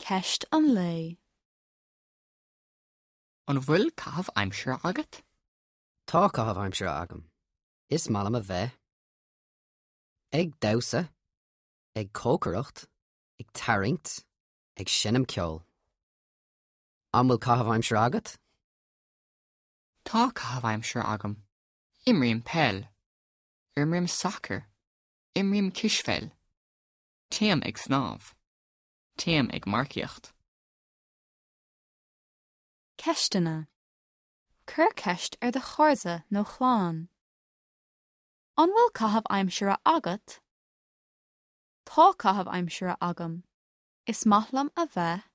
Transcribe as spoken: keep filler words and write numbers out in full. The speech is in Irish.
Ceist an lae. An bhfuil caitheamh aimsire agat? Tá caitheamh aimsire agam. Is maith liom a bheith. Ag damhsa, ag cócaireacht, ag tarraingt, ag seinm ceoil. An bhfuil caitheamh aimsire agat? Tá caitheamh aimsire agam. Imrím peil. Imrím sacar. Imrím cispheil. Téim ag snámh. Téim ag marcaíocht. Ceisteanna. Cuir ceist ar do chairde nó chlann. An bhfuil caitheamh aimsire agat? Tá caitheamh aimsire agam. Is maith liom a bheith.